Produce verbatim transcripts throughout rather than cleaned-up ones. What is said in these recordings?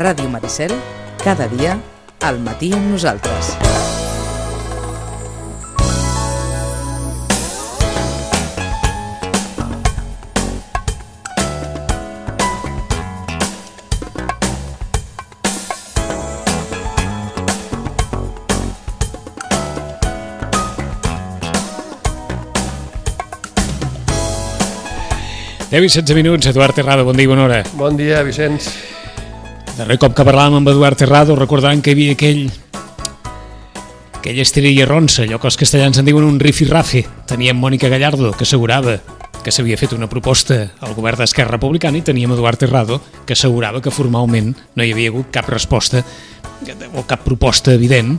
Ràdio Maricel, cada dia, al matí amb nosaltres. deu i setze minuts, Eduard Terrado, bon dia i bona hora. Bon dia, Vicenç. Darrer cop que parlàvem amb Eduard Terrado, recordaran que hi havia aquell aquella estrella ronsa, allò que els castellans en diuen un rifirrafe. Teníem Mònica Gallardo, que assegurava que s'havia fet una proposta al govern d'Esquerra Republicana, i teníem Eduard Terrado, que assegurava que formalment no hi havia hagut cap resposta o cap proposta evident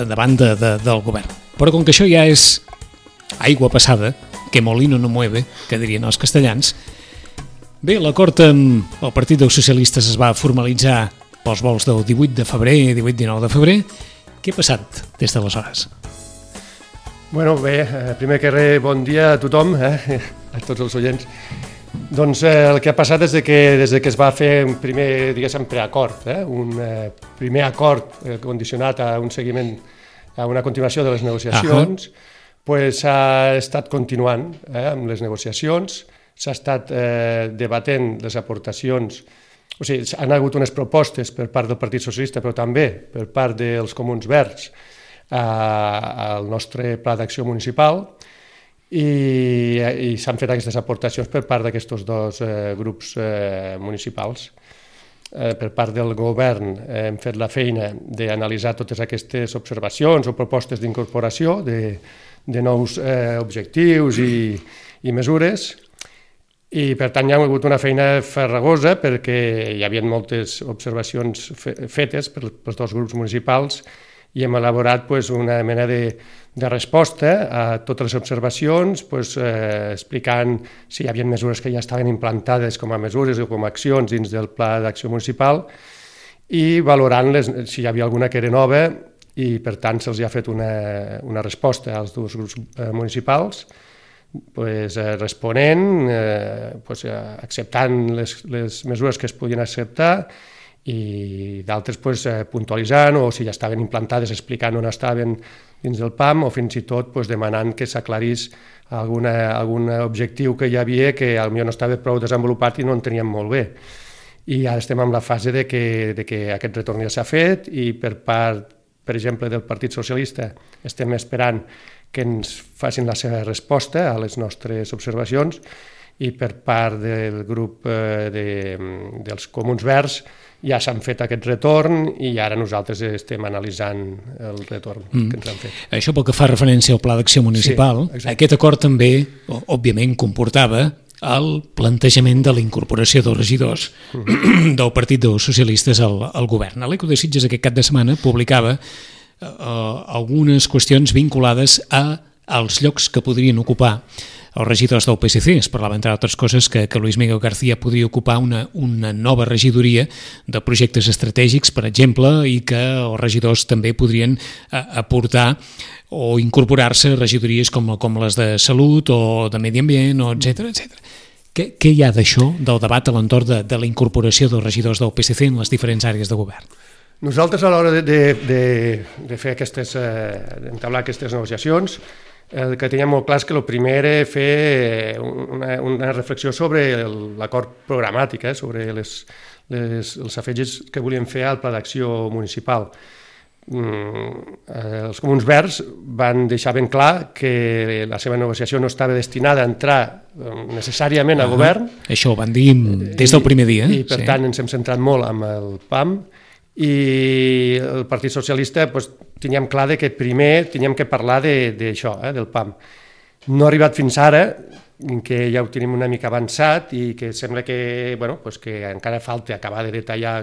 davant de, de, del govern. Però com que això ja és aigua passada, que molino no mueve, que dirien els castellans. Bé, l'acord amb el Partit dels Socialistes es va formalitzar pels vols del divuit de febrer, divuit dinou de febrer. Què ha passat des d'aleshores? Bueno, bé, primer que res, bon dia a tothom, eh? A tots els oients. Doncs eh, el que ha passat és que des que es va fer un primer, diguéssim, preacord, eh? un eh, primer acord eh, condicionat a un seguiment, a una continuació de les negociacions, uh-huh. Pues s'ha estat continuant eh, amb les negociacions, s'ha estat eh, debatent les aportacions, o sigui, han hagut unes propostes per part del Partit Socialista, però també per part dels Comuns Verds eh, al nostre pla d'acció municipal, i, i s'han fet aquestes aportacions per part d'aquests dos eh, grups eh, municipals. Eh, per part del govern eh, hem fet la feina d'analitzar totes aquestes observacions o propostes d'incorporació de de nous eh, objectius i, i mesures, i per tant hi ha hagut una feina farragosa perquè hi havia moltes observacions fe fetes per, pels dos grups municipals, i hem elaborat pues, una mena de, de resposta a totes les observacions, pues, eh, explicant si hi havia mesures que ja estaven implantades com a mesures o com a accions dins del Pla d'Acció Municipal, i valorant les, si hi havia alguna que era nova, i per tant se'ls ha fet una, una resposta als dos grups eh, municipals, pues, eh, responent, eh, pues, eh, acceptant les, les mesures que es podien acceptar, i d'altres pues, eh, puntualitzant, o si ja estaven implantades explicant on estaven dins del P A M, o fins i tot pues, demanant que s'aclarís alguna, algun objectiu que hi havia que potser no estava prou desenvolupat i no en teníem molt bé. I ara estem en la fase de que, de que aquest retorn ja s'ha fet, i per part, per exemple, del Partit Socialista estem esperant que ens facin la seva resposta a les nostres observacions, i per part del grup eh, de, dels Comuns Verds ja s'han fet aquest retorn, i ara nosaltres estem analitzant el retorn mm. que ens han fet. Això pel que fa referència al Pla d'Acció Municipal, sí, aquest acord també, òbviament, comportava el plantejament de la incorporació dels regidors uh-huh. del Partit dels Socialistes al, al govern. L'Eco de Sitges aquest cap de setmana publicava eh, algunes qüestions vinculades a, als llocs que podrien ocupar els regidors del P S C. Es parlava, entre altres coses, que, que Luis Miguel García podria ocupar una, una nova regidoria de projectes estratègics, per exemple, i que els regidors també podrien eh, aportar o incorporar-se a regidories com, com les de Salut o de Medi Ambient, o etcètera, etcètera. Què, què hi ha d'això, del debat a l'entorn de, de la incorporació dels regidors del P S C en les diferents àrees de govern? Nosaltres, a l'hora de, de, de, de fer aquestes, eh, d'entablar aquestes negociacions, el que teníem molt clar és que el primer era fer una, una reflexió sobre l'acord programàtic, eh, sobre les, les, els afegits que volíem fer al Pla d'Acció Municipal. Mm, eh, els Comuns Verds van deixar ben clar que la seva negociació no estava destinada a entrar necessàriament al uh-huh. govern. Això ho van dir des del primer dia. I, i per sí. tant ens hem centrat molt amb el P A M, i el Partit Socialista pues, teníem clar que primer teníem que parlar d'això, eh, del P A M. No ha arribat fins ara, que ja ho tenim una mica avançat, i que sembla que, bueno, pues que encara falta acabar de detallar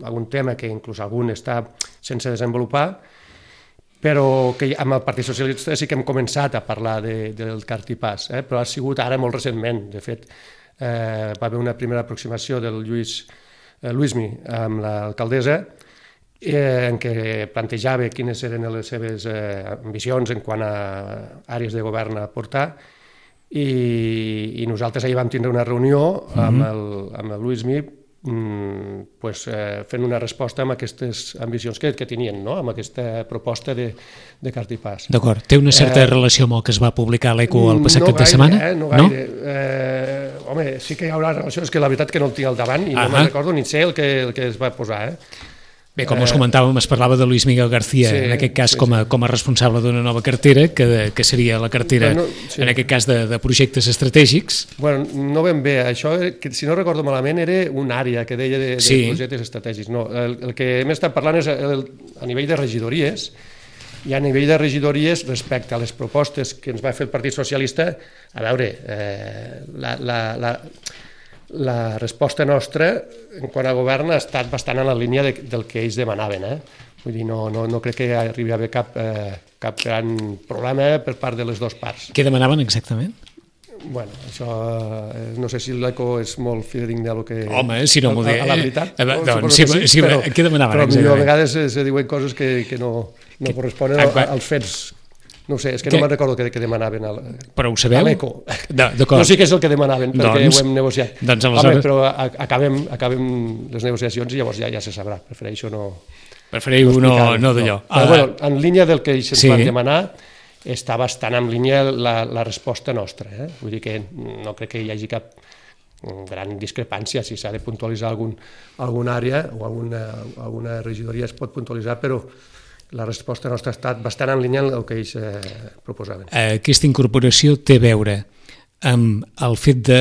algun tema que inclús algun està sense desenvolupar, però que amb el Partit Socialista sí que hem començat a parlar de, del cartipàs, eh? Però ha sigut ara molt recentment. De fet, eh, va haver una primera aproximació del Lluís, eh, Luismi amb l'alcaldessa, eh, en què plantejava quines eren les seves eh, ambicions en quant a àrees de govern a portar, i, i nosaltres ahir vam tindre una reunió amb el, amb el Luismi pues, eh, fent una resposta amb aquestes ambicions que, que tenien, no? Amb aquesta proposta de, de Cartipàs. D'acord. Té una certa eh, relació amb el que es va publicar a l'Eco el passat no cap gaire, de setmana? Eh, no gaire. No? Eh, home, sí que hi haurà relació, és que la veritat que no el tinc al davant i ah no me'n recordo ni sé el que, el que es va posar, eh? Bé, com us comentàvem, es parlava de Luis Miguel García, sí, en aquest cas sí, com, a, com a responsable d'una nova cartera, que, que seria la cartera, bueno, sí. en aquest cas, de, de projectes estratègics. Bueno, no ben bé, això, que, si no recordo malament, era una àrea que deia de, de sí. projectes estratègics. No, el, el que hem estat parlant és el, a nivell de regidories, i a nivell de regidories, respecte a les propostes que ens va fer el Partit Socialista, a veure, eh, la... la, la la resposta nostra en quant a govern ha estat bastant en la línia de, del que ells demanaven. Eh? Vull dir, no, no, no crec que arribi a haver cap, eh, cap gran problema per part de les dues parts. Què demanaven exactament? Bueno, això, eh, no sé si l'Eco és molt fidedigne a lo que... Home, si no m'ho dic... A, a la veritat. Eh, doncs, si, sí, si, però, què demanaven però exactament? Però a vegades se, se diuen coses que, que no, no corresponen a, als fets. No sé, és que, que... no me'n recordo què, què demanaven a, però ho sabeu? a l'Eco. No sé què és el que demanaven, perquè doncs, ho hem negociat. Doncs aleshores... Home, però acabem, acabem les negociacions i llavors ja ja se sabrà. Prefereixo no... Preferiu no, no d'allò. No. Però, bueno, en línia del que ells ens sí. van demanar, està bastant en línia la, la resposta nostra. Eh? Vull dir que no crec que hi hagi cap gran discrepància, si s'ha de puntualitzar algun, alguna àrea o alguna, alguna regidoria es pot puntualitzar, però la resposta nostra ha estat bastant en línia amb el que ells eh, proposaven. Aquesta incorporació té a veure amb el fet de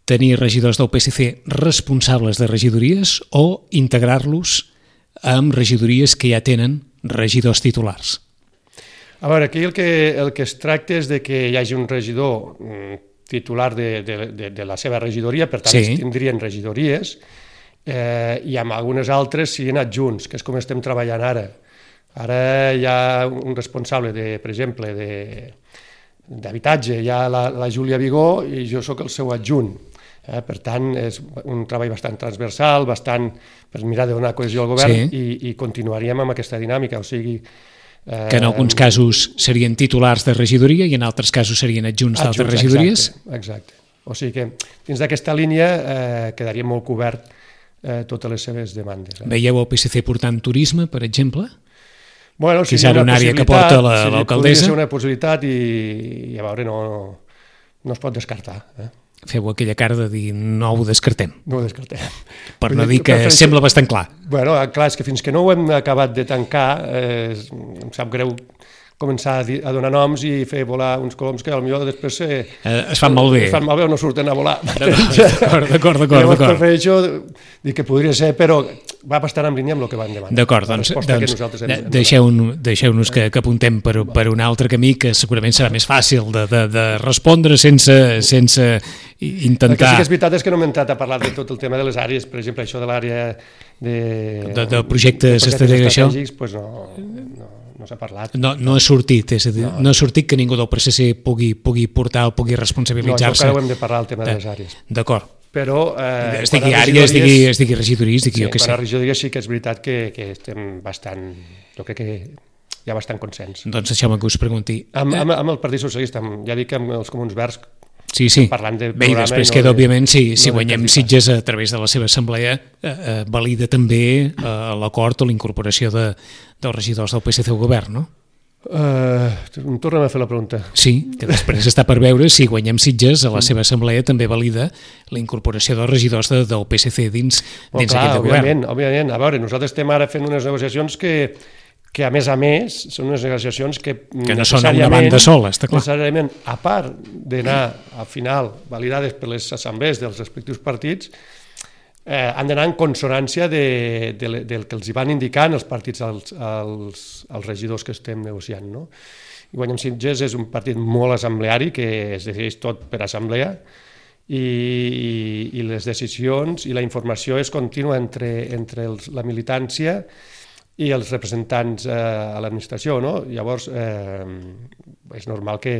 tenir regidors del P S C responsables de regidories o integrar-los amb regidories que ja tenen regidors titulars? A veure, aquí el que, el que es tracta és de que hi hagi un regidor titular de, de, de, de la seva regidoria, per tant, sí. tindrien regidories, eh, i amb algunes altres siguin adjunts, que és com estem treballant ara. Ara hi ha un responsable, de, per exemple, d'habitatge, hi ha la, la Júlia Vigó i jo sóc el seu adjunt. Eh? Per tant, és un treball bastant transversal, bastant per mirar de donar cohesió al govern sí. i, i continuaríem amb aquesta dinàmica. O sigui, eh, que en alguns casos serien titulars de regidoria i en altres casos serien adjunts, adjunts d'altres regidories? Exacte, exacte. O sigui que dins d'aquesta línia eh, quedaria molt cobert eh, totes les seves demandes. Eh? Veieu el P S C portant turisme, per exemple? Bueno, si és una, una àrea que porta l'alcaldessa. Podria ser una possibilitat i, i a veure, no, no es pot descartar. Eh? Feu aquella cara de dir no ho descartem. No ho descartem. Per no dir que sembla bastant clar. Bueno, clar, és que fins que no ho hem acabat de tancar, eh, em sap greu començar a, dir, a donar noms i fer volar uns coloms que potser després eh, eh, es fan molt bé. Es fan malbé o no surten a volar. D'acord, d'acord, d'acord. Prefereixo dir que podria ser, però va bastant en línia amb el que van demanar. D'acord, doncs, doncs hem, deixeu-nos deixeu que, que apuntem per, per un altre camí que segurament serà més fàcil de, de, de respondre sense, sense intentar... El que sí que és veritat és que no hem entrat a parlar de tot el tema de les àrees, per exemple, això de l'àrea de... De, de projectes estratègics, això? Pues no, no, no s'ha parlat. No, no ha sortit, és a dir, no, no ha sortit que ningú del P S C pugui, pugui portar o pugui responsabilitzar-se. No, això encara ho hem de parlar, el tema de les àrees. D'acord. Però... Eh, es digui àrea, es digui, es digui regidoria, es digui sí, jo què sé. Per a regidoria sí que és veritat que, que estem bastant... Jo crec que hi ha bastant consens. Doncs deixeu-me que us pregunti. Amb, amb, amb el Partit Socialista, amb, ja dic que amb els Comuns Verds, sí, sí. parlant de bé, i després no queda, de, òbviament, si, si no guanyem Sitges a través de la seva assemblea, eh, eh, valida també eh, l'acord o la incorporació de, dels regidors del P S C al govern, no? Uh, torna'm a fer la pregunta. Sí, que després està per veure si guanyem Sitges a la seva assemblea també valida la incorporació dels regidors de, del P S C dins, oh, dins clar, aquest òbviament, govern. Òbviament, a veure, nosaltres estem ara fent unes negociacions que, que a més a més són unes negociacions que, que no són a una banda sola, està clar. Necessàriament, a part d'anar al final validades per les assemblees dels respectius partits, Eh, han d'anar en consonància de, de, del que els hi van indicant els partits als, als, als regidors que estem negociant. No? I Guanyem Sitges és un partit molt assembleari que es decideix tot per assemblea i, i, i les decisions i la informació és contínua entre, entre els, la militància i els representants eh, a l'administració. No? Llavors, eh, és normal que,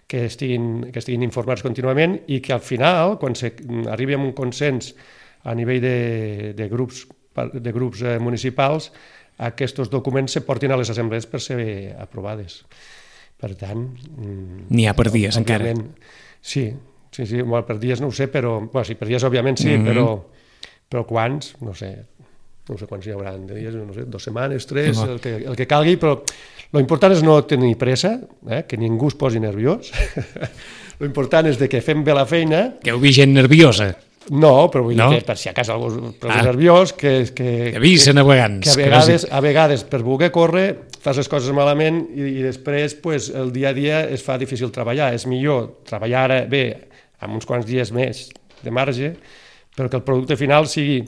que, estiguin, que estiguin informats contínuament i que al final, quan se arribi a un consens a nivell de, de grups, de grups eh, municipals, aquests documents se portin a les assemblees per ser aprovades. Per tant... N'hi ha per dies, encara. Sí, sí, sí, bueno, per dies no ho sé, però... Bueno, sí, per dies òbviament sí, mm-hmm. però, però quants, no sé, no sé quants hi haurà de dies, no sé, dues setmanes, tres, el que, el que calgui, però l'important és no tenir pressa, eh, que ningú es posi nerviós. L'important és de que fem bé la feina. Que heu vist gent nerviosa? No, però vull no? dir que per si a casa algú és ah. nerviós, que... Que, que avisen a vegades. Que a vegades, a vegades per voler córrer, fas les coses malament i, i després pues, el dia a dia es fa difícil treballar. És millor treballar ara bé, amb uns quants dies més de marge, però que el producte final sigui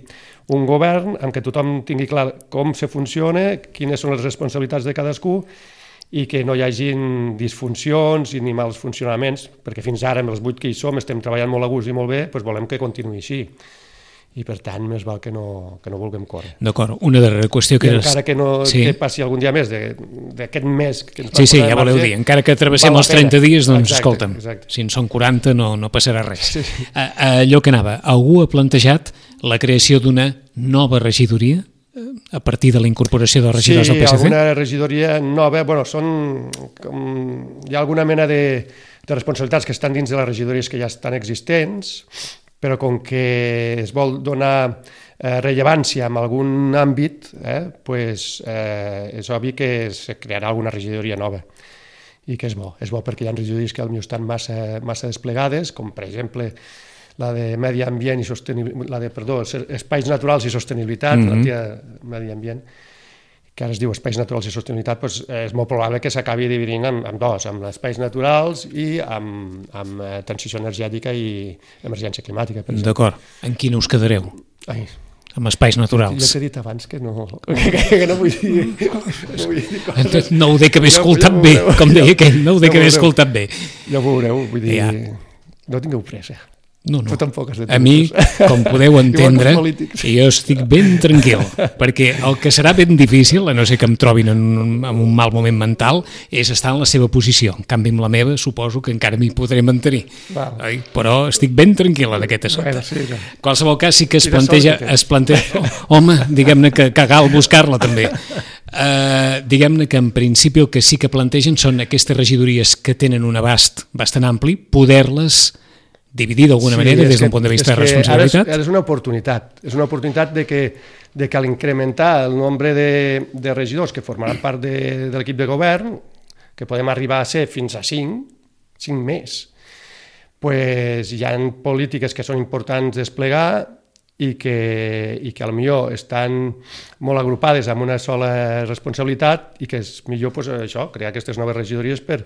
un govern en què tothom tingui clar com se funciona, quines són les responsabilitats de cadascú i que no hi hagin disfuncions ni mals funcionaments, perquè fins ara, amb els vuit que hi som, estem treballant molt a gust i molt bé, doncs volem que continuï així. I per tant, més val que no, que no vulguem córrer. D'acord, una darrera qüestió que... I encara que no sí. que passi algun dia més d'aquest mes... Que ens sí, sí, ja voleu dir, encara que travessem els trenta dies, doncs exacte, escolta'm, exacte. Si en són quaranta no, no passarà res. Sí. Allò que anava, algú ha plantejat la creació d'una nova regidoria a partir de la incorporació dels regidors sí, del P S C? Sí, alguna regidoria nova, bueno, són... Com, hi ha alguna mena de, de responsabilitats que estan dins de les regidories que ja estan existents, però com que es vol donar eh, rellevància en algun àmbit, eh, pues, eh, és obvi que es crearà alguna regidoria nova i que és bo. És bo perquè hi ha regidories que potser estan massa, massa desplegades, com per exemple la de Medi Ambient i Sostenibilitat, la de, perdó, Espais Naturals i Sostenibilitat, mm-hmm. la tia Medi Ambient, que ara es diu Espais Naturals i Sostenibilitat, doncs és molt probable que s'acabi dividint en, en dos, amb espais naturals i amb, amb transició energètica i emergència climàtica. D'acord. En quina us quedareu? Ai. Amb espais naturals. Jo t'he dit abans que no, que, que no vull dir... No, vull dir coses. No ho dec haver escoltat bé, com deia aquell, no ho dec haver escoltat bé. Ja ho veureu, vull dir... Ja. No tingueu pressa. No, no. Tampoc has de a mi, com podeu entendre, jo estic ben tranquil, perquè el que serà ben difícil, a no ser que em trobin en un, en un mal moment mental, és estar en la seva posició. En canvi, amb la meva, suposo que encara m'hi podré mantenir. Oi? Però estic ben tranquil en aquest assumpte. Bueno, sí, no. En qualsevol cas, sí que es planteja... Es planteja home, diguem-ne que, que cal buscar-la, també. Uh, diguem-ne que en principi el que sí que plantegen són aquestes regidories que tenen un abast bastant ampli, poder-les dividir d'alguna sí, manera des d'un punt de vista de responsabilitat? Ara és una oportunitat. És una oportunitat de que, de que a l'incrementar el nombre de, de regidors que formaran part de, de l'equip de govern, que podem arribar a ser fins a cinc, cinc més, pues hi ha polítiques que són importants desplegar i que, i que potser estan molt agrupades amb una sola responsabilitat i que és millor pues, això, crear aquestes noves regidories per,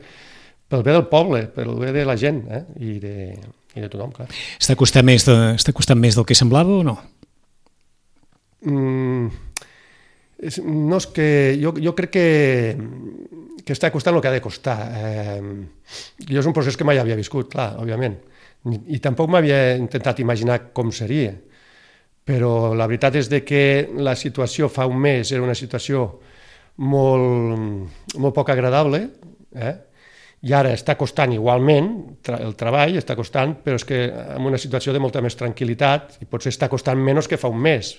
pel bé del poble, pel bé de la gent eh? I, de, i de tothom, clar. Està costant més, de, està costant més del que semblava o no? Mm, és, no és que... Jo, jo crec que, que està costant el que ha de costar. Eh, jo és un procés que mai havia viscut, clar, òbviament. I, i tampoc m'havia intentat imaginar com seria. Però la veritat és de que la situació fa un mes era una situació molt, molt poc agradable, eh? I ara està costant igualment, el treball està costant, però és que en una situació de molta més tranquil·litat, i potser està costant menys que fa un mes,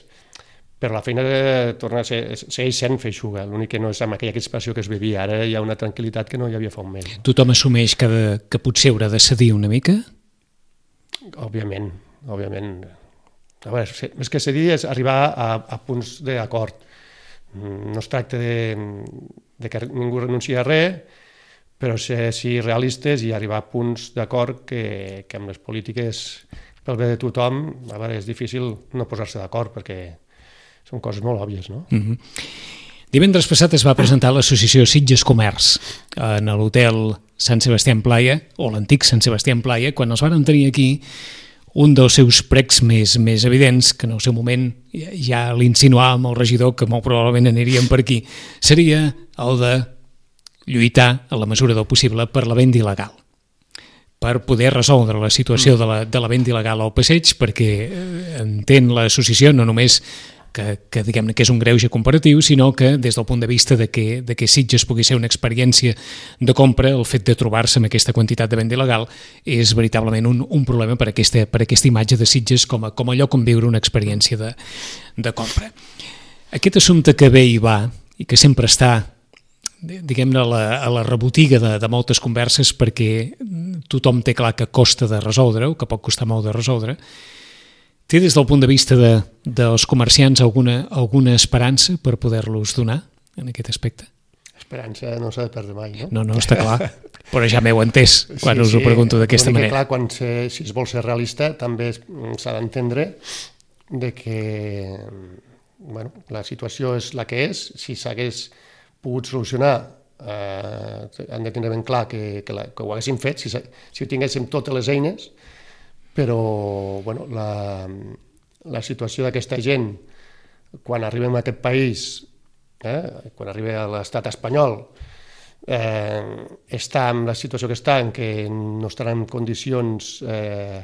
però la feina de tornar a ser, segueix sent feixuga, l'únic que no és amb aquella crispació que es vivia, ara hi ha una tranquil·litat que no hi havia fa un mes. Tothom assumeix que, de, que potser haurà de cedir una mica? Òbviament, òbviament. A veure, més que cedir és arribar a, a punts d'acord. No es tracta de, de que ningú renunciï a res, però ser sí, realistes i arribar a punts d'acord que, que amb les polítiques pel bé de tothom, a veure, és difícil no posar-se d'acord perquè són coses molt òbvies, no? Mm-hmm. Divendres passat es va presentar l'associació Sitges Comerç en l'hotel Sant Sebastià en Playa, o l'antic Sant Sebastià en Playa, quan els van tenir aquí un dels seus precs més, més evidents, que en el seu moment ja, ja l'insinuàvem el regidor, que molt probablement aniríem per aquí, seria el de lluitar a la mesura del possible per la venda il·legal, per poder resoldre la situació de la, de la venda il·legal al passeig, perquè entén l'associació no només que, que diguem-ne que és un greuge comparatiu, sinó que des del punt de vista de que, de que Sitges pugui ser una experiència de compra, el fet de trobar-se amb aquesta quantitat de venda il·legal és veritablement un, un problema per aquesta, per aquesta imatge de Sitges com a, com a lloc on viure una experiència de, de compra. Aquest assumpte que ve i va, i que sempre està diguem-ne, a la, a la rebotiga de, de moltes converses perquè tothom té clar que costa de resoldre o que pot costar molt de resoldre, Té des del punt de vista de, dels comerciants alguna, alguna esperança per poder-los donar en aquest aspecte? Esperança no s'ha de perdre mai, no? No, no, està clar, però ja m'heu entès quan sí, us ho pregunto d'aquesta manera. Clar, quan se, si es vol ser realista també s'ha d'entendre de que bueno, la situació és la que és, si s'hagués pogut solucionar eh, han de tenir ben clar que, que, la, que ho haguéssim fet, si, si tinguéssim totes les eines, però bueno, la, la situació d'aquesta gent quan arribem a aquest país, eh, quan arriba a l'estat espanyol, eh, està en la situació que està, en què no estarà en condicions eh,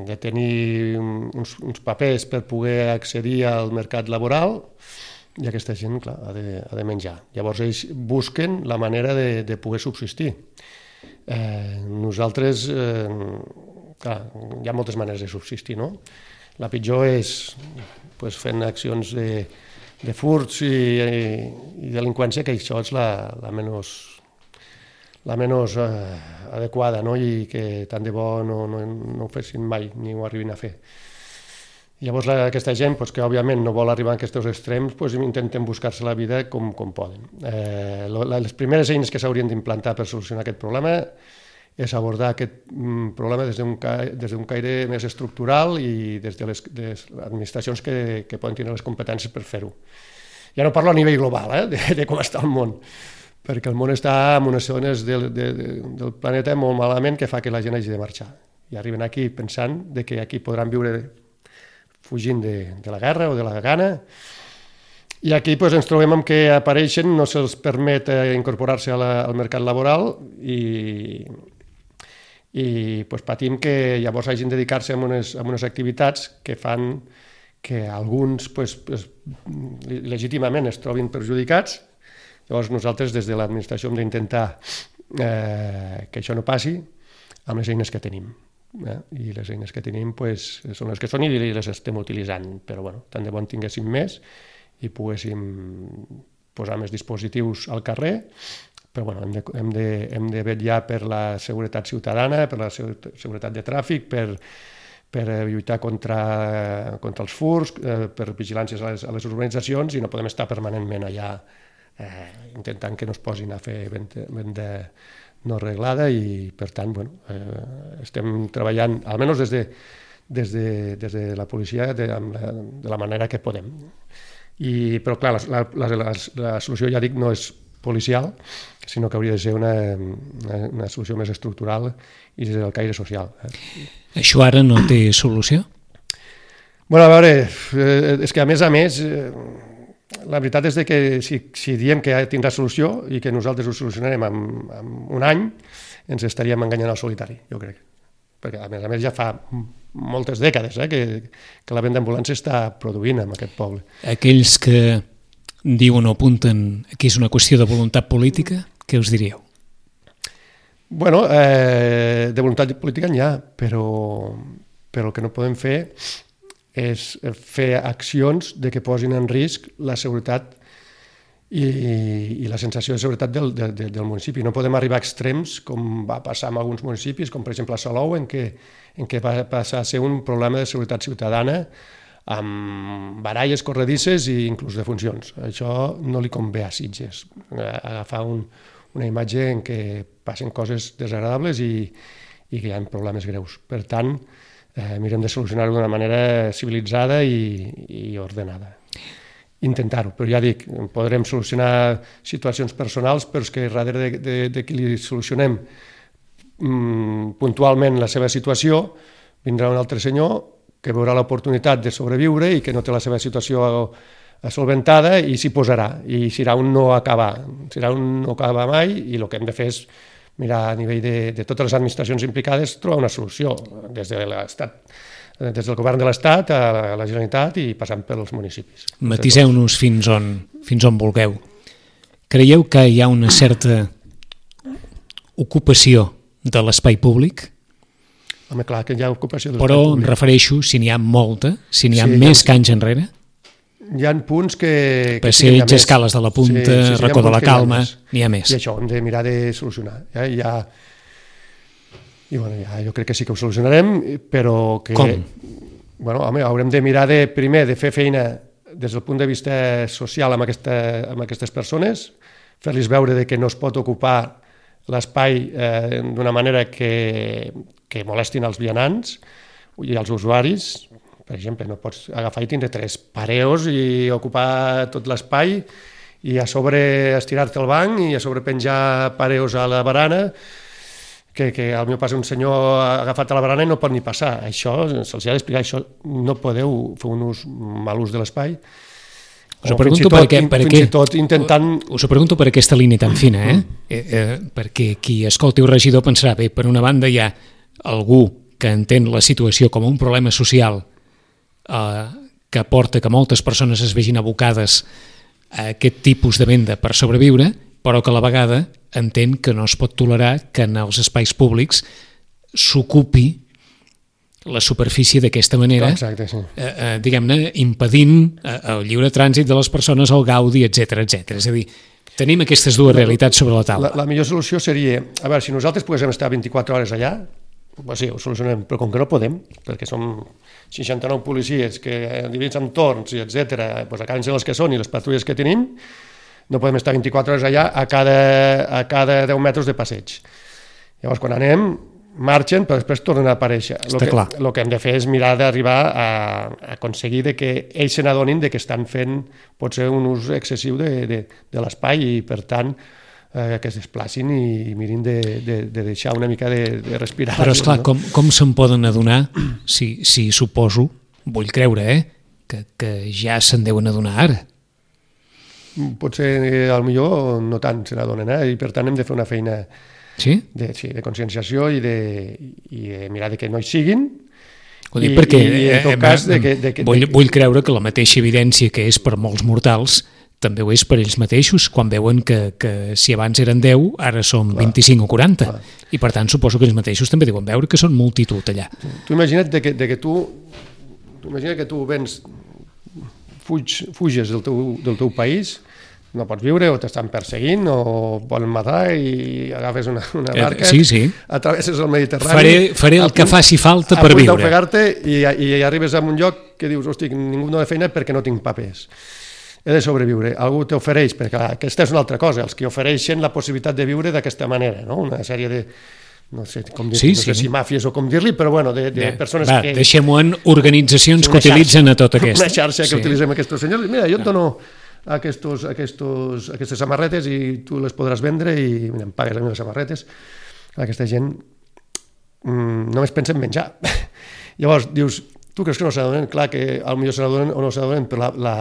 de tenir uns, uns papers per poder accedir al mercat laboral, i aquesta gent, clar, ha de, ha de menjar. Llavors ells busquen la manera de, de poder subsistir. Eh, nosaltres... Eh, Clar, hi ha moltes maneres de subsistir, no? La pitjor és pues, fent accions de, de furts i, i, i delinqüència, que això és la, la menys, la menys eh, adequada, no? I que tant de bo no, no, no ho fessin mai, ni ho arribin a fer. Llavors la, aquesta gent, pues, que òbviament no vol arribar a aquests extrems, pues, intenten buscar-se la vida com, com poden. Eh, les primeres eines que s'haurien d'implantar per solucionar aquest problema és abordar aquest problema des d'un des d'un caire més estructural i des de les, de les administracions que, que poden tenir les competències per fer-ho. Ja no parlo a nivell global, eh, de, de com està el món, perquè el món està en unes zones del, de, de, del planeta molt malament que fa que la gent hagi de marxar. I arriben aquí pensant de que aquí podran viure fugint de, de la guerra o de la gana, i aquí pues, ens trobem amb que apareixen, no se'ls permet eh, incorporar-se a la, al mercat laboral i... i pues, patim que llavors hagin de dedicar-se a unes, a unes activitats que fan que alguns pues, pues, legítimament es trobin perjudicats. Llavors nosaltres des de l'administració hem d'intentar eh, que això no passi amb les eines que tenim. Eh? I les eines que tenim pues, són les que són i les estem utilitzant, però bueno, tant de bon tinguéssim més i poguéssim posar més dispositius al carrer, però bueno, hem de, hem de, hem de vetllar per la seguretat ciutadana, per la seguretat de tràfic, per, per lluitar contra, contra els furts, eh, per vigilàncies a les, a les urbanitzacions, i no podem estar permanentment allà eh, intentant que no es posin a fer venda, venda no reglada, i per tant bueno, eh, estem treballant, almenys des de, des de, des de la policia, de, la, de la manera que podem. I, però clar, la, la, la, la solució, ja dic, no és policial, sinó que hauria de ser una, una, una solució més estructural i des del caire social. Això ara no té solució? Bueno, a veure, és que a més a més, la veritat és que si, si diem que tindrà solució i que nosaltres ho solucionarem en, en un any, ens estaríem enganyant al solitari, jo crec. Perquè a més a més ja fa moltes dècades eh, que, que la venda d'ambulància està produint en aquest poble. Aquells que diuen o apunten que és una qüestió de voluntat política, què us diríeu? Bueno, eh, de voluntat política n'hi ha, però, però el que no podem fer és fer accions de que posin en risc la seguretat i, i la sensació de seguretat del, de, de, del municipi. No podem arribar a extrems com va passar en alguns municipis, com per exemple a Salou, en què, en què va passar a ser un problema de seguretat ciutadana amb baralles corredisses i inclús de funcions. Això no li convé a Sitges, agafar un, una imatge en què passen coses desagradables i, i que hi ha problemes greus. Per tant, eh, mirem de solucionar-ho d'una manera civilitzada i, i ordenada. Intentar-ho, però ja dic, podrem solucionar situacions personals, però és que darrere de, de, de qui li solucionem mm, puntualment la seva situació, vindrà un altre senyor que veurà l'oportunitat de sobreviure i que no té la seva situació solventada i s'hi posarà, i serà un no acabar, serà un no acabar mai, i el que hem de fer és mirar a nivell de, de totes les administracions implicades, trobar una solució, des de l'Estat, des del govern de l'Estat a la Generalitat i passant pels municipis. Matiseu-nos fins on, fins on vulgueu. Creieu que hi ha una certa ocupació de l'espai públic? Home, clar que hi ha ocupació de l'espai públic. Però em refereixo, si n'hi ha molta, si n'hi ha sí, més ha, que anys enrere? Hi ha punts que... Passeig, escales de la Punta, sí, sí, sí, Racó de la Calma, n'hi ha més. I això hem de mirar de solucionar. Ja, ja... I bueno, ja, jo crec que sí que ho solucionarem, però que... Com? bueno, home, haurem de mirar de, primer de fer feina des del punt de vista social amb, aquesta, amb aquestes persones, fer-los veure de que no es pot ocupar l'espai eh, d'una manera que, que molestin els vianants i els usuaris. Per exemple, no pots agafar i tindre tres pareos i ocupar tot l'espai i a sobre estirar-te al banc i a sobre penjar pareos a la barana, que, que al meu pas un senyor ha agafat a la barana i no pot ni passar. Això se'ls ha d'explicar, això no podeu fer un ús, mal ús de l'espai. Us ho pregunto per què, per què, tot intentant... us ho pregunto per aquesta línia tan fina, eh? eh, eh perquè qui escolti un regidor pensarà, bé, per una banda hi ha algú que entén la situació com un problema social eh, que porta que moltes persones es vegin abocades a aquest tipus de venda per sobreviure, però que a la vegada entén que no es pot tolerar que en els espais públics s'ocupi la superfície d'aquesta manera, exacte, sí. eh, eh, diguem-ne, impedint eh, el lliure trànsit de les persones, el gaudi, etcètera, etcètera. És a dir, tenim aquestes dues realitats sobre la taula. La, la millor solució seria, a veure, si nosaltres poguéssim estar vint-i-quatre hores allà, pues sí, ho solucionem, però com que no podem, perquè som seixanta-nou policies que dividits en torns, i etcètera, pues acaben sent les que són i les patrulles que tenim, no podem estar vint-i-quatre hores allà a cada, a cada deu metres de passeig. Llavors, quan anem, marxen, però després tornen a aparèixer. Està clar. El que hem de fer és mirar d'arribar a, a aconseguir de que ells se n'adonin que estan fent potser un ús excessiu de, de, de l'espai i, per tant, eh, que es desplacin i mirin de, de, de deixar una mica de, de respirar. Però, esclar, no? com, com se'n poden adonar, si, si suposo, vull creure, eh, que, que ja se'n deuen adonar ara? Potser, al millor, no tant se n'adonen, eh? I per tant hem de fer una feina sí? de, sí, de conscienciació i de, i de mirar de que no hi siguin. Ho dic I, perquè i, en tot eh, cas de que, de que, vull, de que... vull creure que la mateixa evidència que és per molts mortals també ho és per ells mateixos, quan veuen que, que si abans eren deu, ara són clar, vint-i-cinc o quaranta. Clar. I per tant suposo que ells mateixos també deuen veure que són multitud allà. Tu imagina't de que, de que tu, tu imagina que tu vens, fuig, fuges del teu, del teu país, no pots viure o t'estan perseguint o volen matar i agafes una, una barca, eh, sí, sí. atravesses el Mediterrani... Faré, faré el punt, que faci falta per viure. A punt d'ofegar-te i, i arribes a un lloc que dius, hosti, ningú no de feina perquè no tinc papers. He de sobreviure. Algú t'ofereix, perquè aquesta és una altra cosa, els que ofereixen la possibilitat de viure d'aquesta manera, no? Una sèrie de... no sé, com dir, sí, no sé sí. si màfies o com dir-li, però bueno, de, de Bé, persones va, que... deixem-ho en organitzacions que utilitzen xarxa, a tot aquest. Una xarxa que sí. utilitzem aquests senyors. Mira, jo et dono aquestos, aquestos, aquestes samarretes i tu les podràs vendre i mira, em pagues a mi les samarretes. Aquesta gent mmm, només pensa en menjar. Llavors, dius, tu creus que no s'adonen? Clar que potser se n'adonen o no s'adonen, però la, la,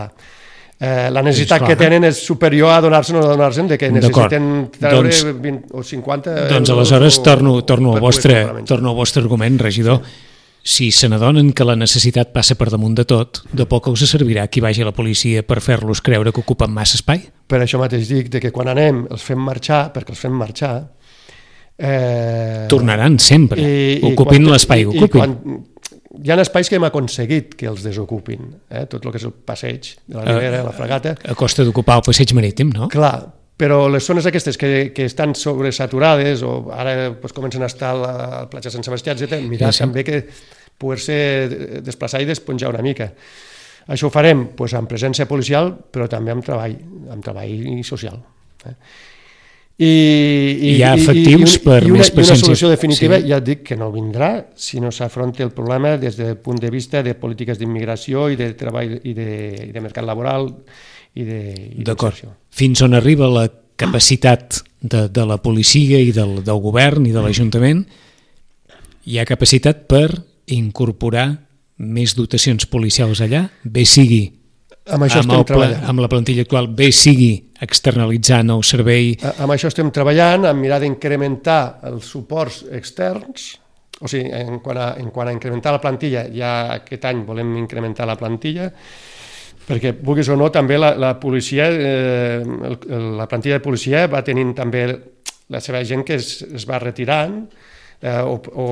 eh, la necessitat sí, que tenen és superior a donar-se'n o no donar-se'n, de que necessiten treure doncs, vint o cinquanta... Doncs aleshores o, torno, torno, al vostre, torno al vostre argument, regidor. Si se n'adonen que la necessitat passa per damunt de tot, de poc us servirà qui vagi a la policia per fer-los creure que ocupen massa espai? Per això mateix dic de que quan anem els fem marxar, perquè els fem marxar... Eh, Tornaran sempre, i, ocupin i l'espai que ocupin. Quan, hi ha espais que hem aconseguit que els desocupin, eh? Tot el que és el passeig de la Ribera, la Fragata... A costa d'ocupar el passeig marítim, no? Clar, però les zones aquestes que, que estan sobresaturades o ara pues, comencen a estar a la platja Sant Sebastià, etcètera, mirar sí, sí. també que poder-se desplaçar i despenjar una mica. Això ho farem pues, amb presència policial, però també amb treball, amb treball social. Eh? I, i, hi ha efectius i, i, per i una, més presència. I una solució definitiva, sí. ja et dic que no vindrà si no s'afronta el problema des del punt de vista de polítiques d'immigració i de treball i de, i de mercat laboral i de D'acord. Fins on arriba la capacitat de, de la policia i del, del govern i de l'Ajuntament, hi ha capacitat per incorporar més dotacions policials allà, bé sigui amb, això amb, el, amb la plantilla actual, bé sigui externalitzant el servei... Amb això estem treballant, amb mirar d'incrementar els suports externs, o sigui, en quant a, en quant a incrementar la plantilla, ja aquest any volem incrementar la plantilla, perquè, vulguis o no, també la, la policia, eh, el, la plantilla de policia va tenint també la seva gent que es, es va retirant, eh, o, o,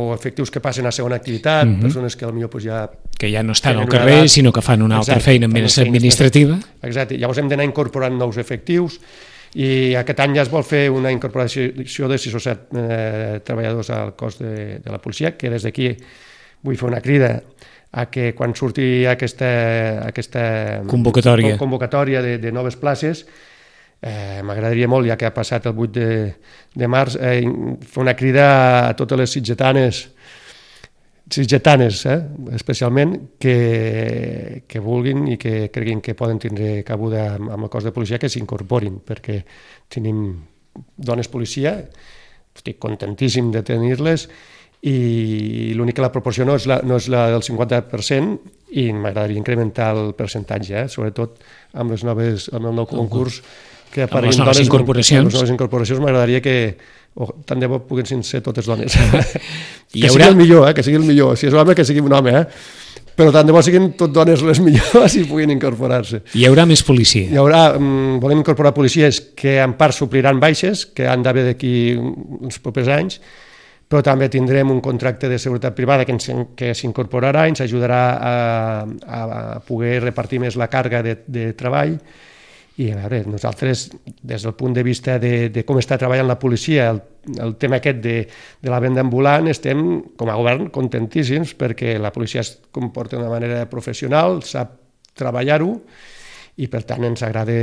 o efectius que passen a segona activitat, mm-hmm. persones que potser pues, ja... Que ja no estan al carrer, edat, sinó que fan una altra exacte, feina més administrativa. Exacte, llavors hem d'anar incorporant nous efectius i aquest any ja es vol fer una incorporació de sis o set eh, treballadors al cos de, de la policia, que des d'aquí vull fer una crida a que quan surti aquesta, aquesta convocatòria, convocatòria de, de noves places, eh, m'agradaria molt, ja que ha passat el vuit de, de març, eh, fer una crida a totes les sitgetanes, sitgetanes eh, especialment, que, que vulguin i que creguin que poden tindre cabuda amb, amb el cos de policia, que s'incorporin, perquè tenim dones policia, estic contentíssim de tenir-les, i l'únic que la proporció no és la, no és la del cinquanta per cent i m'agradaria incrementar el percentatge, eh? Sobretot amb, les noves, amb el nou concurs que amb les noves dones, incorporacions. Amb les noves incorporacions m'agradaria que oh, tant de bo puguin ser totes dones. I que haurà... sigui el millor, eh? Que sigui el millor. Si és home, que sigui un home, eh? Però tant de bo siguin tot dones les millors i puguin incorporar-se. Hi haurà més policia? Hi haurà, um, volem incorporar policies que en part supliran baixes, que han d'haver d'aquí uns propers anys, però també tindrem un contracte de seguretat privada que, que s'incorporarà i ens ajudarà a, a poder repartir més la càrrega de, de treball. I a veure, nosaltres, des del punt de vista de, de com està treballant la policia, el, el tema aquest de, de la venda ambulant, estem, com a govern, contentíssims perquè la policia es comporta d'una manera professional, sap treballar-ho, i per tant ens agrada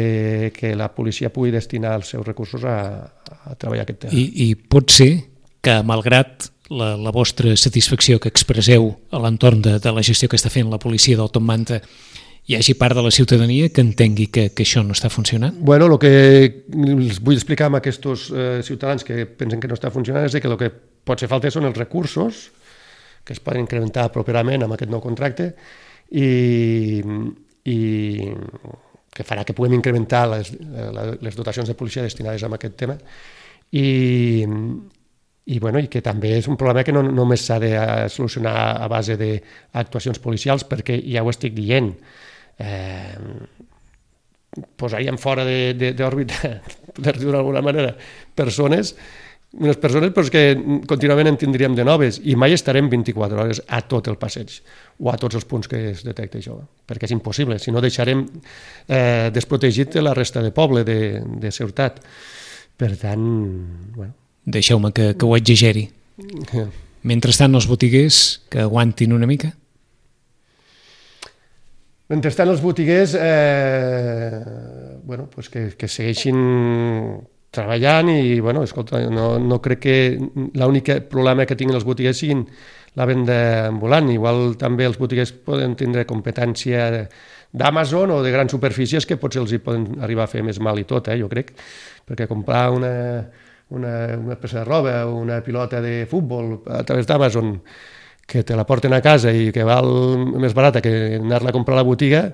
que la policia pugui destinar els seus recursos a, a treballar aquest tema. I, i pot ser que, malgrat la, la vostra satisfacció que expresseu a l'entorn de, de la gestió que està fent la policia del Top Manta, hi hagi part de la ciutadania que entengui que, que això no està funcionant? Bueno, el que els vull explicar a aquests eh, ciutadans que pensen que no està funcionant és que el que pot ser falta són els recursos, que es poden incrementar properament amb aquest nou contracte, i, i que farà que puguem incrementar les, les dotacions de policia destinades a aquest tema, i, i, bueno, i que també és un problema que no només s'ha de solucionar a base d'actuacions policials, perquè ja ho estic dient, eh, posaríem fora d'òrbita, per dir-ho d'alguna manera, persones, unes persones però que contínuament en tindríem de noves, i mai estarem vint-i-quatre hores a tot el passeig o a tots els punts que es detecta això, perquè és impossible, si no deixarem eh, desprotegit la resta de poble, de, de ciutat. Per tant, bueno... Deixeu-me que, que ho exageri. Mentrestant, els botiguers que aguantin una mica? Mentrestant, els botiguers eh, bueno, pues que, que segueixin treballant i, bueno, escolta, no, no crec que l'únic problema que tinguin els botiguers siguin la venda ambulant. Igual també els botiguers poden tindre competència d'Amazon o de grans superfícies que potser els hi poden arribar a fer més mal i tot, eh, jo crec, perquè comprar una... Una, una peça de roba o una pilota de futbol a través d'Amazon que te la porten a casa i que val més barata que anar-la a comprar a la botiga,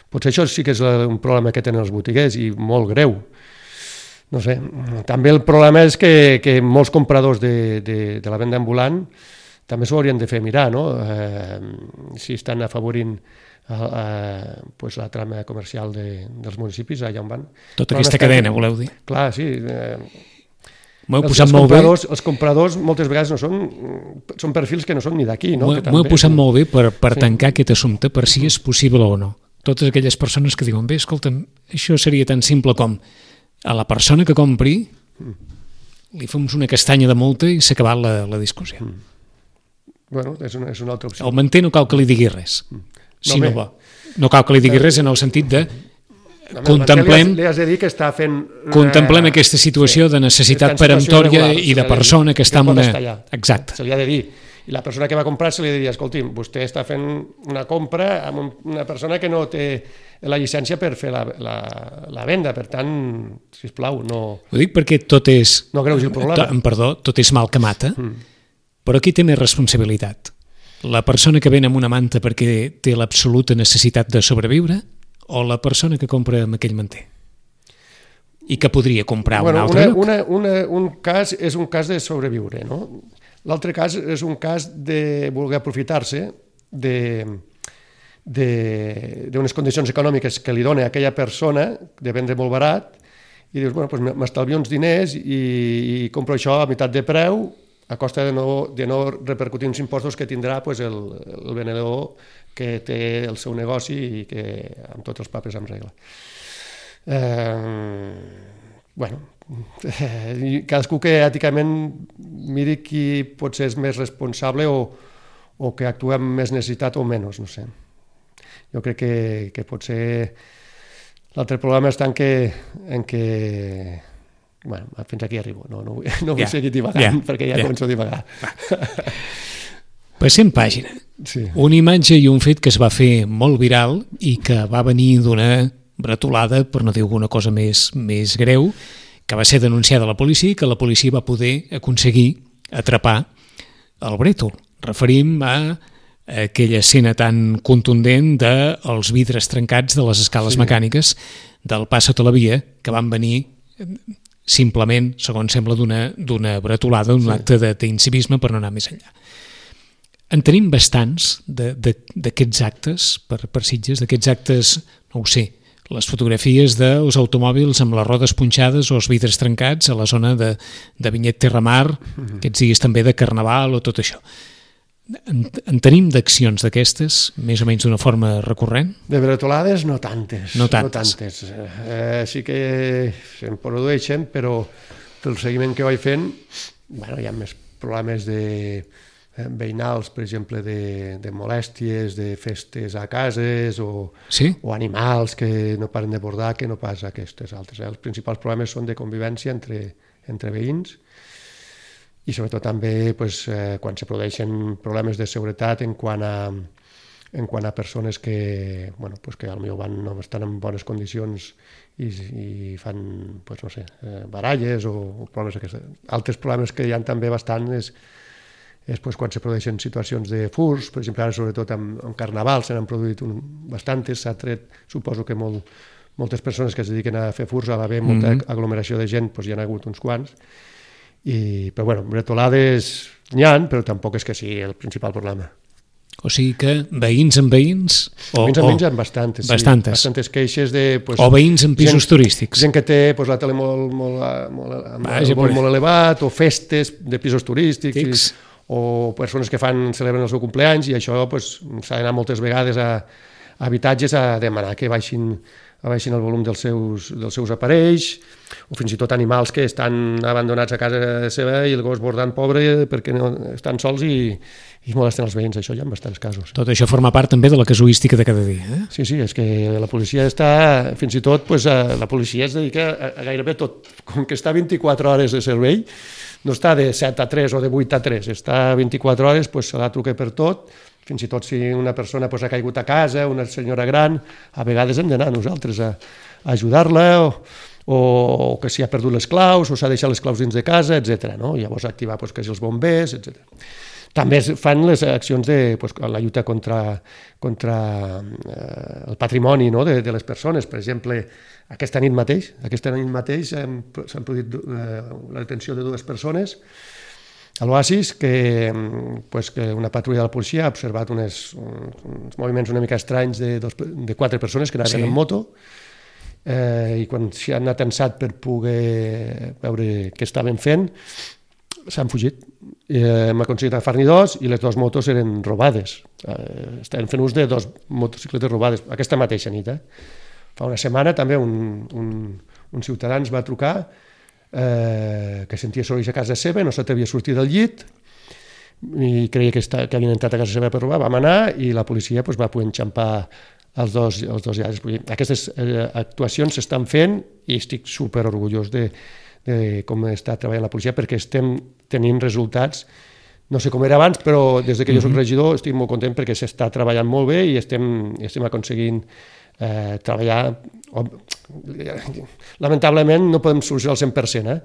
potser això sí que és un problema que tenen els botiguers i molt greu. No sé, també el problema és que, que molts compradors de, de, de la venda ambulant també s'ho haurien de fer mirar, no? Eh, si estan afavorint a, a, pues la trama comercial de, dels municipis allà on van. Tota aquesta cadena, voleu dir? Clar, sí. Eh, M'ho he els, posat els, molt bé. Els compradors moltes vegades no són, són perfils que no són ni d'aquí. No? M'ho he posat molt bé per, per sí. tancar aquest assumpte, per si és possible o no. Totes aquelles persones que diuen, bé, escolta'm, això seria tan simple com a la persona que compri li fem una castanya de multa i s'ha acabat la, la discussió. Mm. Bueno, és una, és una altra opció. El manter no cal que li digui res. Mm. Si no, no, va. No cal que li digui res en el sentit de no, contemplem, li has, li has de dir que està fent una... contemplem aquesta situació sí, de necessitat peremptòria i de persona que està en una... Exacte. Se li ha de dir. I la persona que va comprar se li ha de dir, escolti'm, vostè està fent una compra amb una persona que no té la llicència per fer la, la, la venda, per tant, sisplau, no... Ho dic perquè tot és... No greugi el problema. To, perdó, tot és mal que mata, mm. però qui té més responsabilitat? La persona que ven amb una manta perquè té l'absoluta necessitat de sobreviure o la persona que compra amb aquell manter? I que podria comprar bueno, un altre una, lloc? Una, una, un cas és un cas de sobreviure, no? L'altre cas és un cas de voler aprofitar-se d'unes condicions econòmiques que li dona a aquella persona de vendre molt barat i dius, bueno, pues m'estalvio uns diners i, i compro això a meitat de preu a costa de no, de no repercutir uns impostos que tindrà pues, el, el venedor que té el seu negoci i que amb tots els papers en regla. Eh, bueno, eh, cadascú que èticament miri qui potser és més responsable o, o que actua amb més necessitat o menys, no sé. Jo crec que, que potser l'altre problema està en que, en que bueno, fins aquí arribo, no, no, vull, no vull yeah. seguir divagant, yeah. perquè ja yeah. començo a divagar. Passem pàgina. Sí. Una imatge i un fet que es va fer molt viral i que va venir d'una bretolada, per no dir alguna cosa més, més greu, que va ser denunciada a la policia i que la policia va poder aconseguir atrapar el brètol. Referim a aquella escena tan contundent dels vidres trencats de les escales sí. mecàniques del pas sota la via, que van venir simplement, segons sembla, d'una bretolada, d'un sí. acte d'incivisme per no anar més enllà. En tenim bastants d'aquests actes per, per Sitges, d'aquests actes, no ho sé, les fotografies dels automòbils amb les rodes punxades o els vidres trencats a la zona de, de Vinyet Terramar, mm-hmm. aquests dies també de Carnaval o tot això. En, en tenim d'accions d'aquestes, més o menys d'una forma recurrent? De bretolades no tantes. No tantes. No tantes. Eh, sí que se'n produeixen, però pel seguiment que vaig fent, bueno, hi ha més problemes de veïnals, per exemple, de, de molèsties, de festes a cases o, sí? o animals que no paren de bordar, que no pas aquestes altres. Eh? Els principals problemes són de convivència entre, entre veïns i sobretot també pues, eh, quan se produeixen problemes de seguretat en quant a, en quant a persones que, bueno, pues, que potser van, no estan en bones condicions i, i fan, pues, no sé, eh, baralles o, o problemes aquests. Altres problemes que hi ha també bastant és és pues, quan se produeixen situacions de furs, per exemple, ara sobretot amb, amb Carnaval se n'han produït un, bastantes, s'ha tret, suposo que molt, moltes persones que es dediquen a fer furs, a l'haver molta mm-hmm. aglomeració de gent, pues, hi ha hagut uns quants, I, però bueno, bretolades n'hi ha, però tampoc és que sigui el principal problema. O sigui que veïns amb veïns... O, veïns amb veïns hi ha bastantes, sí. Bastantes. Bastantes queixes de... Pues, o veïns en pisos gent, turístics. Gent que té pues, la tele molt, molt, molt, Vaja, molt, molt elevat, o festes de pisos turístics... Tics. O persones que fan celebren el seu cumpleaños i això pues, s'ha d'anar moltes vegades a, a habitatges a demanar que baixin, a baixin el volum dels seus, dels seus aparells, o fins i tot animals que estan abandonats a casa seva i el gos bordant pobre perquè no, estan sols i, i molesten els veïns. Això hi ha bastants casos. Tot això forma part també de la casuística de cada dia. Eh? Sí, sí, és que la policia està, fins i tot pues, la policia es dedica a, a gairebé tot, com que està vint-i-quatre hores de servei, no està de set a tres o de vuit a tres, està vint-i-quatre hores, pues, se la truca per tot, fins i tot si una persona pues, ha caigut a casa, una senyora gran, a vegades hem d'anar nosaltres a, a ajudar-la, o, o que si ha perdut les claus, o s'ha deixat les claus dins de casa, etcètera. No? Llavors activar pues, que si els bombers, etcètera. També fan les accions de pues, la lluita contra, contra eh, el patrimoni, no? de, de les persones. Per exemple, aquesta nit mateix, aquesta nit mateix s'han produït eh, la detenció de dues persones a l'Oasis, que, pues, que una patrulla de la policia ha observat unes, uns moviments una mica estranys de, dos, de quatre persones que anaven sí. en moto, eh, i quan s'hi han atensat per poder veure què estaven fent, s'han fugit. Eh, hem aconseguit agafar-n'hi dos i les dues motos eren robades. Eh, estaven fent ús de dos motocicletes robades aquesta mateixa nit. Eh? Fa una setmana també un, un, un ciutadà ens va trucar eh, que sentia sorolls a casa seva, no s'atrevia a sortir del llit i creia que, està, que havien entrat a casa seva per robar. Vam anar i la policia pues, va poder enxampar els dos, els dos llavis. Aquestes eh, actuacions s'estan fent i estic super orgullós de, de com està treballant la policia perquè estem tenint resultats, no sé com era abans, però des que jo soc regidor estic molt content perquè s'està treballant molt bé i estem, estem aconseguint eh, treballar. Lamentablement no podem solucionar el cent per cent, eh?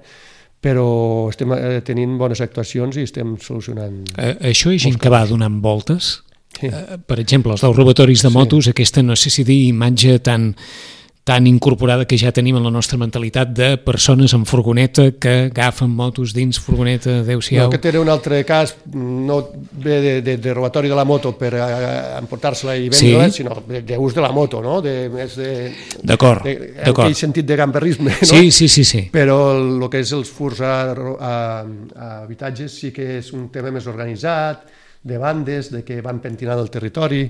però estem eh, tenint bones actuacions i estem solucionant... Eh, això és gent que va donant voltes? Sí. Eh, per exemple, els dels robatoris de motos, sí. aquesta, no sé si dir, imatge tan... tan incorporada que ja tenim en la nostra mentalitat de persones amb furgoneta que agafen motos dins furgoneta, adeu-siau. No, aquest era un altre cas, no ve de, de, de robatori de la moto per emportar-se-la i vendre-la, sí. sinó d'ús de la moto, no? De, més de, d'acord, de, d'acord. En aquell sentit de gamberrisme, no? Sí, sí, sí, sí. Però el que és els furs a, a, a habitatges sí que és un tema més organitzat, de bandes, de que van pentinant el territori,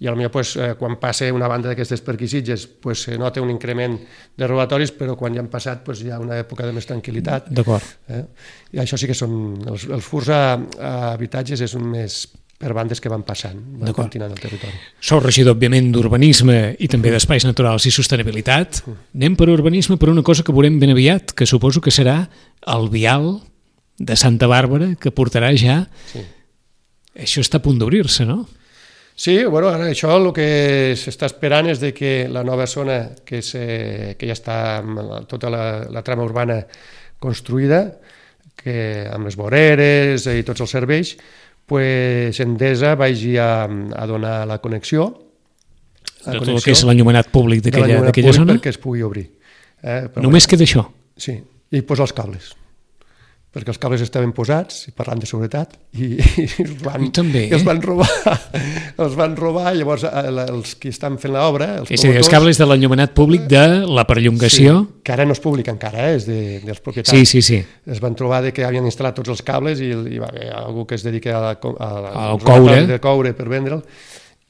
i potser pues, eh, quan passa una banda d'aquestes per aquí Sitges pues, se nota un increment de robatoris, però quan ja han passat pues, hi ha una època de més tranquil·litat. D'acord. Eh? I això sí que són... Els, els furs a, a habitatges és un més per bandes que van passant, van continuant el territori. Sou regidor, òbviament, d'urbanisme i també d'espais naturals i sostenibilitat. Anem per urbanisme per una cosa que veurem ben aviat, que suposo que serà el vial de Santa Bàrbara, que portarà ja... Sí. Això està a punt d'obrir-se, no? Sí, bueno, ara això el que s'està esperant és de que la nova zona, que, és, eh, que ja està tota la, la trama urbana construïda, que amb les voreres i tots els serveis, pues Endesa vagi a, a donar la connexió, la de tot el que és l'enllumenat públic d'aquella zona? Perquè es pugui obrir. Eh? Només queda això? Sí, i posar els cables. Perquè els cables estaven posats, parlant de seguretat, i, i, els, van, I, també, i els van robar. Els van robar, llavors els que estan fent l'obra... És a dir, els cables de l'enllumenat públic de la perllongació... Sí, que ara no és públic encara, eh? És de, dels propietaris. Sí, sí, sí. Es van trobar de que havien instal·lat tots els cables i hi va haver algú que es dedica a, a, a, al coure. de coure per vendre'l,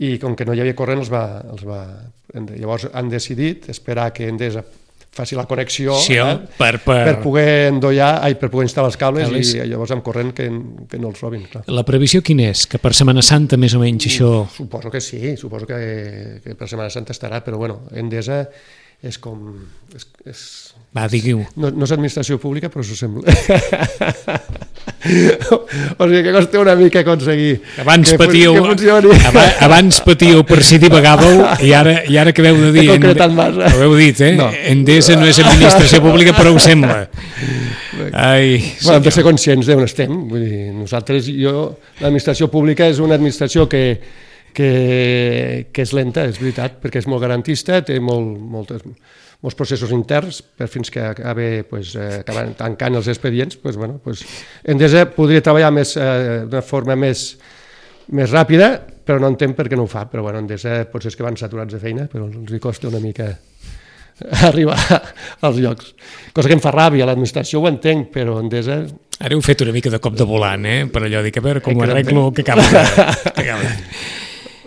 i com que no hi havia corrent els va, els va... Llavors han decidit esperar que Endesa faci la connexió sí, eh, per, per... per poder endollar, ai, per poder instal·lar els cables, cables. I llavors amb corrent que, que no els robin. Clar. La previsió quina és? Que per Setmana Santa més o menys això... Suposo que sí, suposo que, que per Setmana Santa estarà, però bueno, Endesa és com... És, és... Va, diguiu. No, no és administració pública, però s'ho sembla. O sigui que costa una mica aconseguir abans que, patíeu, que funcioni. Abans patíeu per si divagàveu i ara, i ara que veu de dir... He concretat massa. Ho heu dit, eh? No. Endesa no és administració pública, però ho sembla. Ai, bueno, hem de ser conscients d'on estem. Vull dir, nosaltres, jo, l'administració pública és una administració que, que, que és lenta, és veritat, perquè és molt garantista, té molt, moltes... molts processos interns, per fins que acaba, pues, eh, acaben tancant els expedients, pues, bueno, pues, Endesa podria treballar més, eh, d'una forma més, més ràpida, però no entenc per què no ho fa. Però bueno, Endesa potser és que van saturats de feina, però els hi costa una mica arribar als llocs. Cosa que em fa ràbia, l'administració ho entenc, però Endesa... Ara heu fet una mica de cop de volant, eh? Per allò, dic, a veure com ho arreglo, que acaba. Que acaba.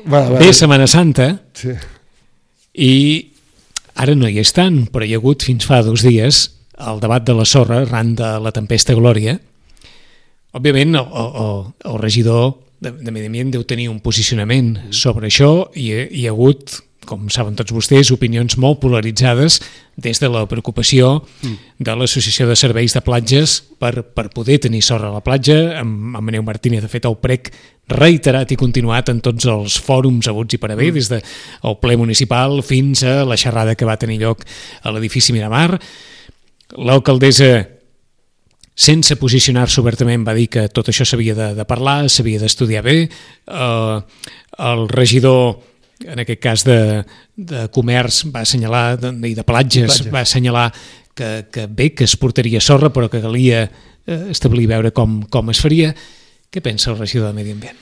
Bueno, bé, Setmana Santa, sí. I... Ara no hi és tant, però hi ha hagut fins fa dos dies el debat de la sorra arran de la tempesta Glòria. Òbviament, el, el, el regidor de, de Medi Ambient deu tenir un posicionament sobre això i hi ha hagut, com saben tots vostès, opinions molt polaritzades des de la preocupació de l'Associació de Serveis de Platges per, per poder tenir sorra a la platja. Amb, amb Maneu Martínez ha fet el prec reiterat i continuat en tots els fòrums haguts i per haver, des del ple municipal fins a la xerrada que va tenir lloc a l'edifici Miramar. L'alcaldessa, sense posicionar-se obertament, va dir que tot això s'havia de, de parlar, s'havia d'estudiar bé. Eh, el regidor, en aquest cas de, de comerç, va assenyalar, de, i de platges, platges, va assenyalar que, que bé, que es portaria sorra, però que calia eh, establir, veure com, com es faria. Què pensa el regidor de Medi Ambient?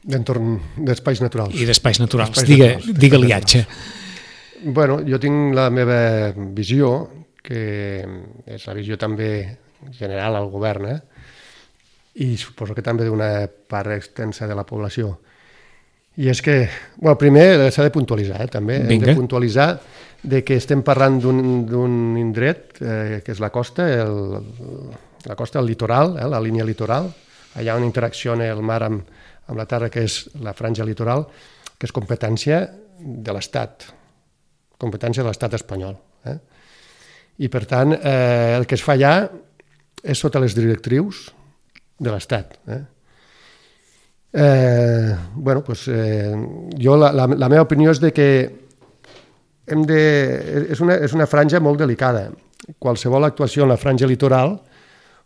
D'entorn d'espais naturals. I d'espais naturals, digue, digue-li atxa. Bueno, jo tinc la meva visió, que és la visió també general al govern, eh? I suposo que també d'una part extensa de la població. I és que, bueno, primer s'ha de puntualitzar, eh, també. Vinga. Hem de puntualitzar de que estem parlant d'un indret, eh, que és la costa, el, la costa, el litoral, eh, la línia litoral, allà on interacciona el mar amb, amb la terra, que és la franja litoral, que és competència de l'Estat, competència de l'Estat espanyol. Eh? I, per tant, eh, el que es fa allà és sota les directrius de l'Estat. Eh? Eh, bueno, pues, eh, jo la, la, la meva opinió és de que hem de, és, una, és una franja molt delicada. Qualsevol actuació en la franja litoral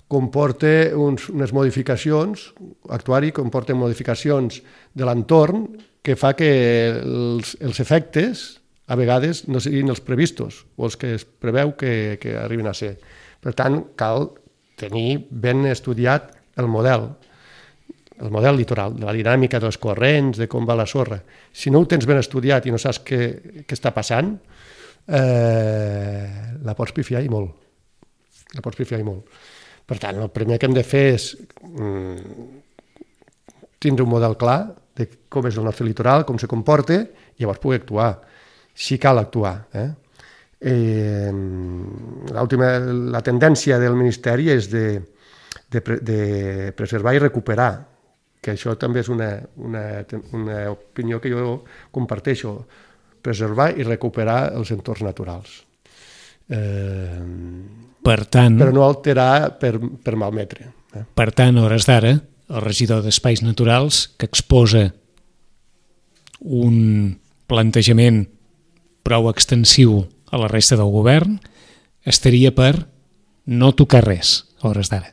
comporta uns, unes modificacions, actuar-hi comporta modificacions de l'entorn que fa que els, els efectes a vegades no siguin els previstos o els que es preveu que, que arribin a ser. Per tant, cal tenir ben estudiat el model, el model litoral, de la dinàmica dels corrents, de com va la sorra. Si no ho tens ben estudiat i no saps què, què està passant, eh, la pots pifiar i molt. La pots pifiar i molt. Per tant, el primer que hem de fer és mm, tindre un model clar de com és el nostre litoral, com se comporta, i llavors poder actuar, si cal actuar. Eh? Eh, la tendència del Ministeri és de, de, de preservar i recuperar que això també és una, una, una opinió que jo comparteixo, preservar i recuperar els entorns naturals. Eh, per tant, però no alterar per, per malmetre. Eh? Per tant, a hores d'ara, el regidor d'Espais Naturals, que exposa un plantejament prou extensiu a la resta del govern, estaria per no tocar res a hores d'ara.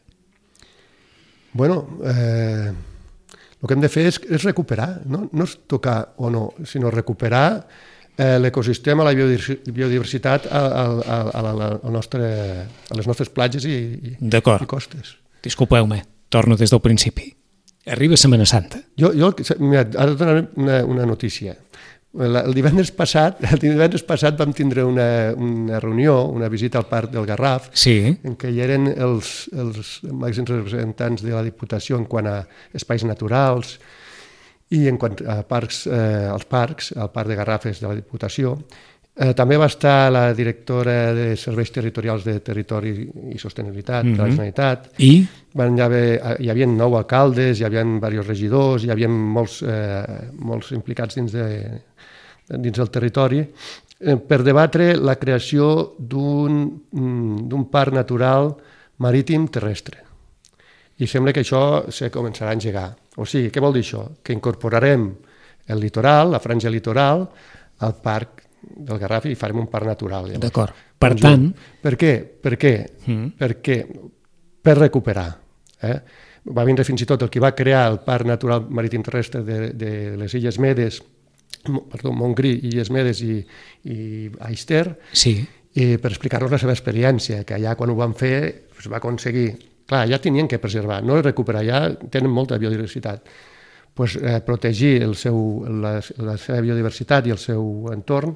Bueno, eh, el que hem de fer és, és recuperar, no? No és tocar o no, sinó recuperar eh, l'ecosistema, la biodiversitat a, a, a, a, la, a, nostre, a les nostres platges i, i, i costes. Disculpeu-me, torno des del principi. Arriba Setmana Santa. Jo, jo mira, ara et donaré una, una notícia. El divendres passat, el divendres passat vam tindre una, una reunió, una visita al Parc del Garraf, sí. en què hi eren els, els màxims representants de la Diputació en quant a espais naturals i en quant a parcs, eh, als parcs, al Parc de Garrafes de la Diputació. Eh, també va estar la directora de Serveis Territorials de Territori i Sostenibilitat mm-hmm. de la Generalitat. I? Van haver, hi havia nou alcaldes, hi havia diversos regidors, hi havia molts, eh, molts implicats dins de dins del territori, eh, per debatre la creació d'un d'un parc natural marítim terrestre. I sembla que això se començarà a engegar. O sigui, què vol dir això? Que incorporarem el litoral, la franja litoral, al parc del Garraf i farem un parc natural. Llavors. D'acord. Per tant... Per què? Per què? Mm. Perquè per recuperar. Eh? Va vindre fins i tot el que va crear el Parc Natural Marítim Terrestre de, de les Illes Medes, perdó, Montgrí, Illes Medes i, i Aister, sí. i per explicar-nos la seva experiència, que allà quan ho van fer es va aconseguir. Clar, ja tenien que preservar, no recuperar, ja tenen molta biodiversitat. Pues, eh, protegir el seu, la, la seva biodiversitat i el seu entorn,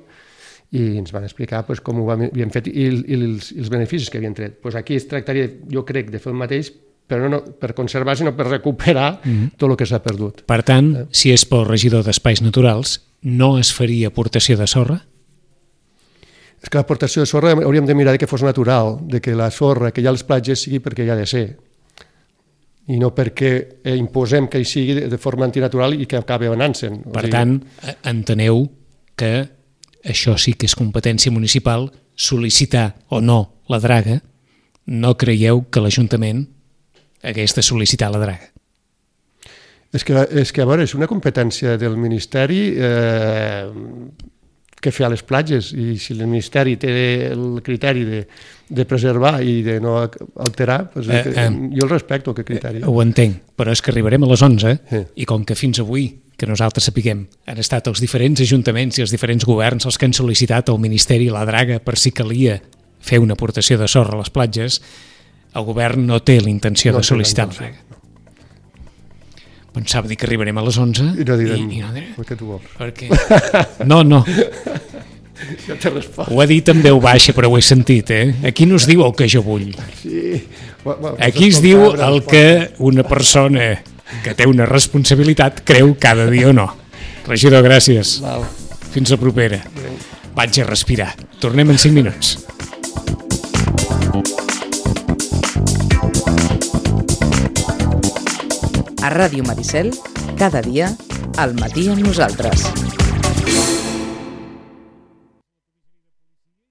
i ens van explicar pues, com ho havien fet i, i, els, i els beneficis que havien tret. Pues aquí es tractaria, jo crec, de fer el mateix, però no per conservar, sinó per recuperar mm-hmm. tot el que s'ha perdut. Per tant, eh? si és pel regidor d'Espais Naturals, no es faria aportació de sorra? És que l'aportació de sorra hauríem de mirar que fos natural, de que la sorra que hi ha a les platges sigui perquè hi ha de ser, i no perquè imposem que hi sigui de forma antinatural i que acabi anant-se'n. Per tant, enteneu que això sí que és competència municipal, sol·licitar o no la draga, no creieu que l'Ajuntament hagués de sol·licitar la draga? És que, és que a veure, és una competència del Ministeri eh, que fer a les platges, i si el Ministeri té el criteri de, de preservar i de no alterar, doncs eh, eh, jo el respecto, aquest criteri. Eh, ho entenc, però és que arribarem a les onze, eh. i com que fins avui, que nosaltres sapiguem, han estat els diferents ajuntaments i els diferents governs els que han sol·licitat al Ministeri la draga per si calia fer una aportació de sorra a les platges, el govern no té la intenció no de sol·licitar la draga. Pensava dir que arribarem a les onze i no direm, i, i no direm. Per què tu vols? Per què? No, no. Ja t'he respost. Ho ha dit en veu baixa, però ho he sentit, eh? Aquí no es diu el que jo vull. Sí. Aquí es diu el que una persona que té una responsabilitat creu cada dia o no. Regidor, gràcies. Val. Fins la propera. Vaig a respirar. Tornem en cinc minuts. A Ràdio Maricel, cada dia, al matí amb nosaltres.